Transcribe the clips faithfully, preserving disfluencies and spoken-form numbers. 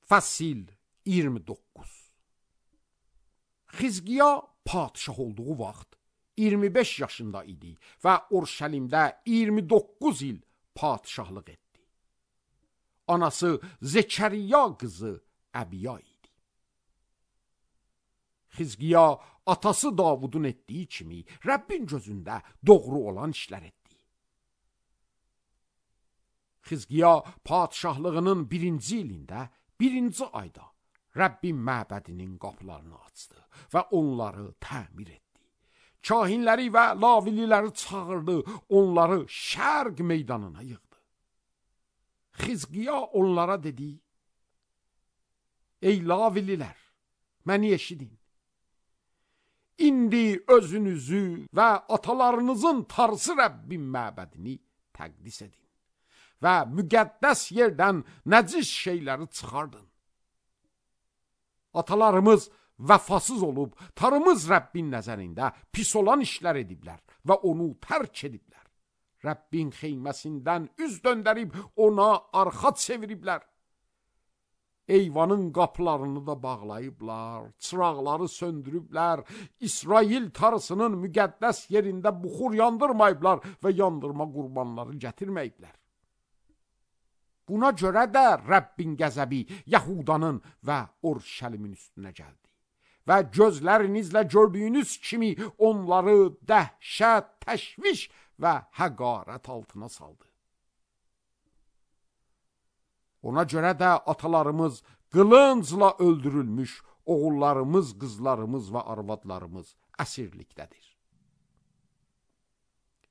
Fəsil iyirmi doqquz. Xizqiya padşah olduğu vaxt iyirmi beş yaşında idi və Urşəlimdə iyirmi doqquz il padşahlıq etdi. Anası Zekəriya qızı Əbiya idi. Xizqiya atası Davudun etdiyi kimi Rəbbin gözündə doğru olan işlər etdi. Xizqiya padşahlığının birinci ilində, birinci ayda Rəbbin məbədinin qapılarını açdı və onları təmir etdi. Kahinləri və lavililəri çağırdı, onları şərq meydanına yığdı. Xizqiya onlara dedi: Ey lavililər, məni eşidin. İndi özünüzü və atalarınızın Tanrısı Rəbbin məbədini təqdis edin və müqəddəs yerdən nəcis şeyləri çıxardın. Atalarımız vəfasız olub, Tanrımız Rəbbin nəzərində pis olan işlər ediblər və onu tərk ediblər. Rəbbin xeyməsindən üz döndərib ona arxa çeviriblər. Eyvanın qapılarını da bağlayıblar, çıraqları söndürüblər, İsrail Tanrısının müqəddəs yerində buxur yandırmayıblar və yandırma qurbanları gətirməyiblər. Buna görə də Rəbbin qəzəbi Yahudanın və Urşəlimin üstünə gəldi. Və gözlərinizlə gördüyünüz kimi onları dəhşət, təşviş və həqarət altına saldı. Ona görə də atalarımız qılıncla öldürülmüş, oğullarımız, qızlarımız və arvadlarımız əsirlikdədir.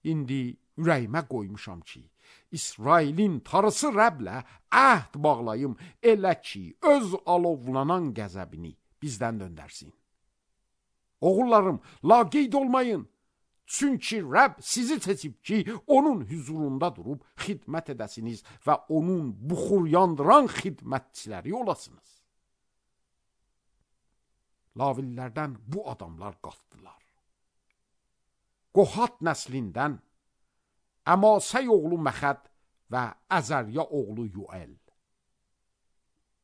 İndi ürəyimə qoymuşam ki, İsrailin Tanrısı Rəblə əhd bağlayım, elə ki, öz alovlanan qəzəbini bizdən döndərsin. Oğullarım, laqeyd olmayın. Çünki Rəbb sizi seçib ki, onun huzurunda durub xidmət edəsiniz və onun buxur yandıran xidmətçiləri olasınız. Lavillərdən bu adamlar qalxdılar. Qohat nəslindən Əmasəy oğlu Məxəd və Əzərya oğlu Yuəl.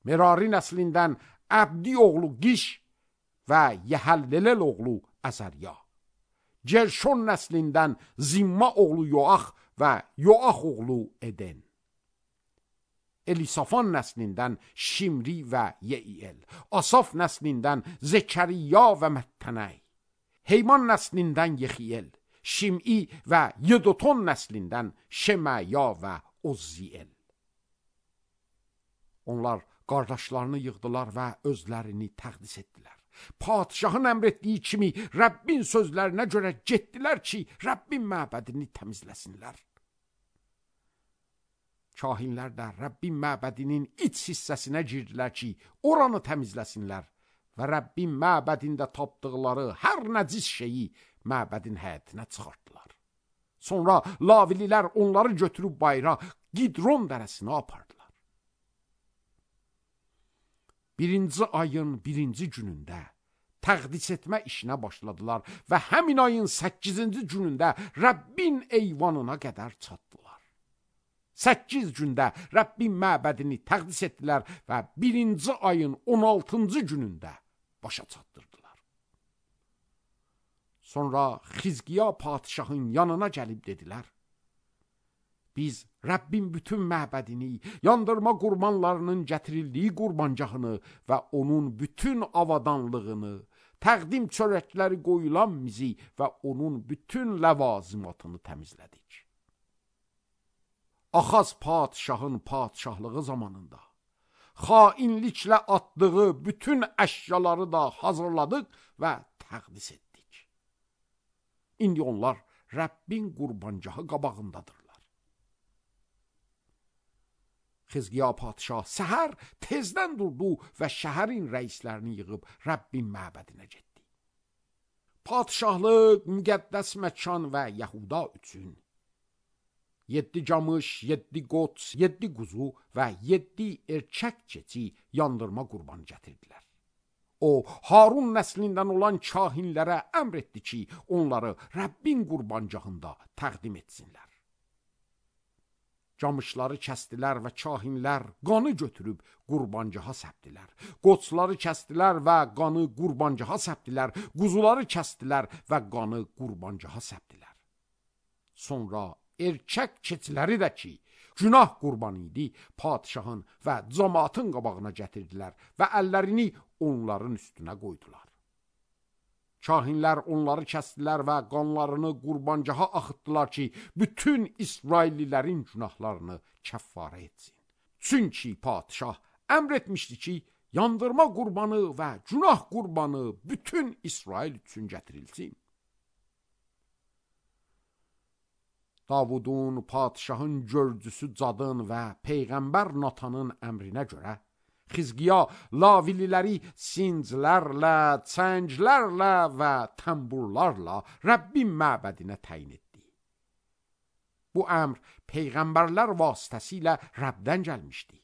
Merari nəslindən Əbdi oğlu Qiş və Yəhəlleləl oğlu Əzərya. Cerşon nəslindən Zimma oğlu Yoax və Yoax oğlu Eden. Elisafan nəslindən Şimri və Yeiyel. Asaf nəslindən Zekəriya və Məttənəy. Heyman nəslindən Yexiyel. Şim'i və Yedoton nəslindən Şeməya və Ozziyel. Onlar qardaşlarını yığdılar və özlərini təqdis etdilər. Padşahın əmr etdiyi kimi Rəbbin sözlərinə görə getdilər ki, Rəbbin məbədini təmizləsinlər. Kahinlər də Rəbbin məbədinin iç hissəsinə girdilər ki, oranı təmizləsinlər və Rəbbin məbədində tapdıqları hər nəcis şeyi məbədin həyətinə çıxartdılar. Sonra lavililər onları götürüb bayra Qidron dərəsinə apardılar. Birinci ayın birinci günündə təqdis etmə işinə başladılar və həmin ayın səkkizinci günündə Rəbbin eyvanına qədər çatdılar. Səkkiz gündə Rəbbin məbədini təqdis etdilər və birinci ayın on altıncı günündə başa çatdırdılar. Sonra Xizqiya padşahın yanına gəlib dedilər: Biz Rəbbin bütün məbədini, yandırma qurbanlarının gətirildiyi qurbancağını və onun bütün avadanlığını, təqdim çörəkləri qoyulan mizi və onun bütün ləvazimatını təmizlədik. Axaz padşahın padşahlığı zamanında xainliklə atdığı bütün əşyaları da hazırladıq və təqdis etdik. İndi onlar Rəbbin qurbancağı qabağındadırlar. Xizqiya padşah səhər tezdən durdu və şəhərin rəislərini yığıb Rəbbin məbədinə getdi. Padşahlıq, müqəddəs məkan və Yahuda üçün yeddi camış, yeddi qoç, yeddi quzu və yeddi erkək keçi yandırma qurbanı gətirdilər. O, Harun nəslindən olan kahinlərə əmr etdi ki, onları Rəbbin qurbancağında təqdim etsinlər. Camışları kəsdilər və kahinlər qanı götürüb qurbancaha səpdilər. Qoçları kəsdilər və qanı qurbancaha səpdilər. Quzuları kəsdilər və qanı qurbancaha səpdilər. Sonra erkək keçiləri də ki, günah qurbanı idi, padişahın və cəmaatın qabağına gətirdilər və əllərini onların üstünə qoydular. Kahinlər onları kəsdilər və qanlarını qurbancaha axıtdılar ki, bütün İsraillilərin günahlarını kəffarə etsin. Çünki padişah əmr etmişdi ki, yandırma qurbanı və günah qurbanı bütün İsrail üçün gətirilsin. Davudun, padişahın görcüsü Cadın və Peyğəmbər Natanın əmrinə görə Xizqiya lavililəri sinclərlə, çənglərlə və təmburlarla Rəbbin məbədinə təyin etdi. Bu əmr peyğəmbərlər vasitəsilə Rəbdən gəlmişdi.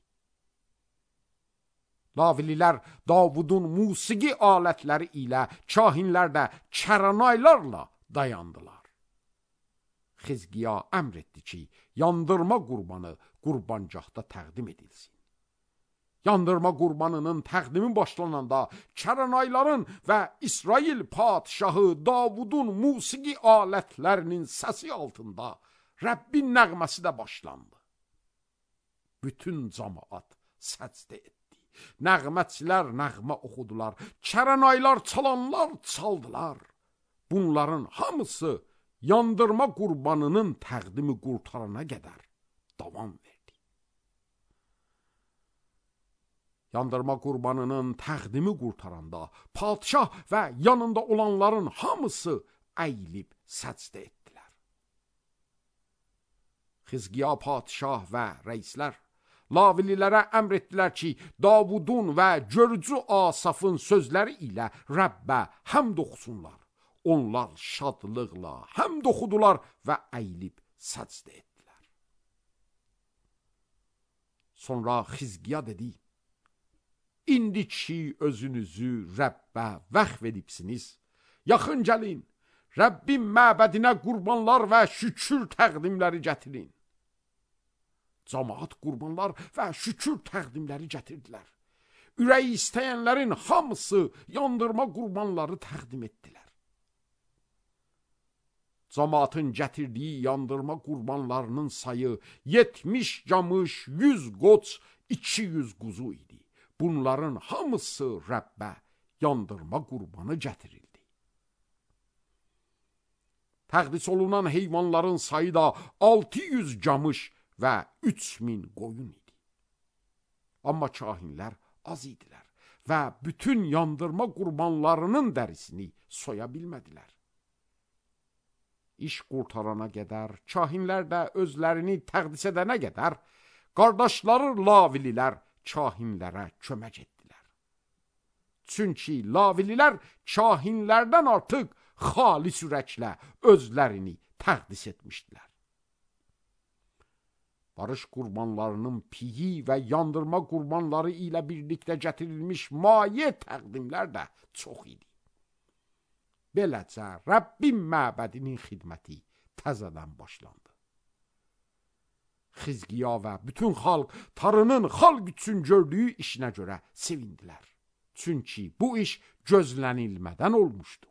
Lavililər Davudun musiqi alətləri ilə, kahinlər də kəranaylarla dayandılar. Xizqiya əmr etdi ki, yandırma qurbanı qurbancaqda təqdim edilsin. Yandırma qurbanının təqdimi başlananda kəranayların və İsrail padişahı Davudun musiqi alətlərinin səsi altında Rəbbin nəğməsi də başlandı. Bütün cəmaat səcdə etdi. Nəğmətçilər nəğmə oxudular. Kəranaylar çalanlar çaldılar. Bunların hamısı yandırma qurbanının təqdimi qurtarana qədər davam verdi. Yandırma qurbanının təqdimi qurtaranda padişah və yanında olanların hamısı əyilib səcdə etdilər. Xizqiya padişah və rəislər lavililərə əmr etdilər ki, Davudun və görücü Asafın sözləri ilə Rəbbə həmd oxusunlar. Onlar şadlıqla həmd oxudular və əyilib səcdə etdilər. Sonra Xizqiya dedi, İndi ki özünüzü Rəbbə vəqf edibsiniz, yaxın gəlin, Rəbbin məbədinə qurbanlar və şükür təqdimləri gətirin. Cəmaat qurbanlar və şükür təqdimləri gətirdilər. Ürəyi istəyənlərin hamısı yandırma qurbanları təqdim etdilər. Cəmaatın gətirdiyi yandırma qurbanlarının sayı yetmiş camış, yüz qoç, iki yüz quzu idi. Bunların hamısı Rəbbə yandırma qurbanı gətirildi. Təqdis olunan heyvanların sayı da altı yüz camış və üç min qoyun idi. Amma kahinlər az idilər və bütün yandırma qurbanlarının dərisini soya bilmədilər. İş qurtarana qədər, kahinlər də özlərini təqdis edənə qədər, qardaşları lavililər kahinlərə kömək etdilər. Çünki lavililər kahinlərdən artıq xalis ürəklə özlərini təqdis etmişdilər. Barış qurbanlarının piyi və yandırma qurbanları ilə birlikdə gətirilmiş maye təqdimlər də çox idi. Beləcə Rəbbin məbədinin xidməti təzədən başlandı. Xizqiya və bütün xalq Tanrının xalq üçün gördüyü işinə görə sevindilər. Çünki bu iş gözlənilmədən olmuşdu.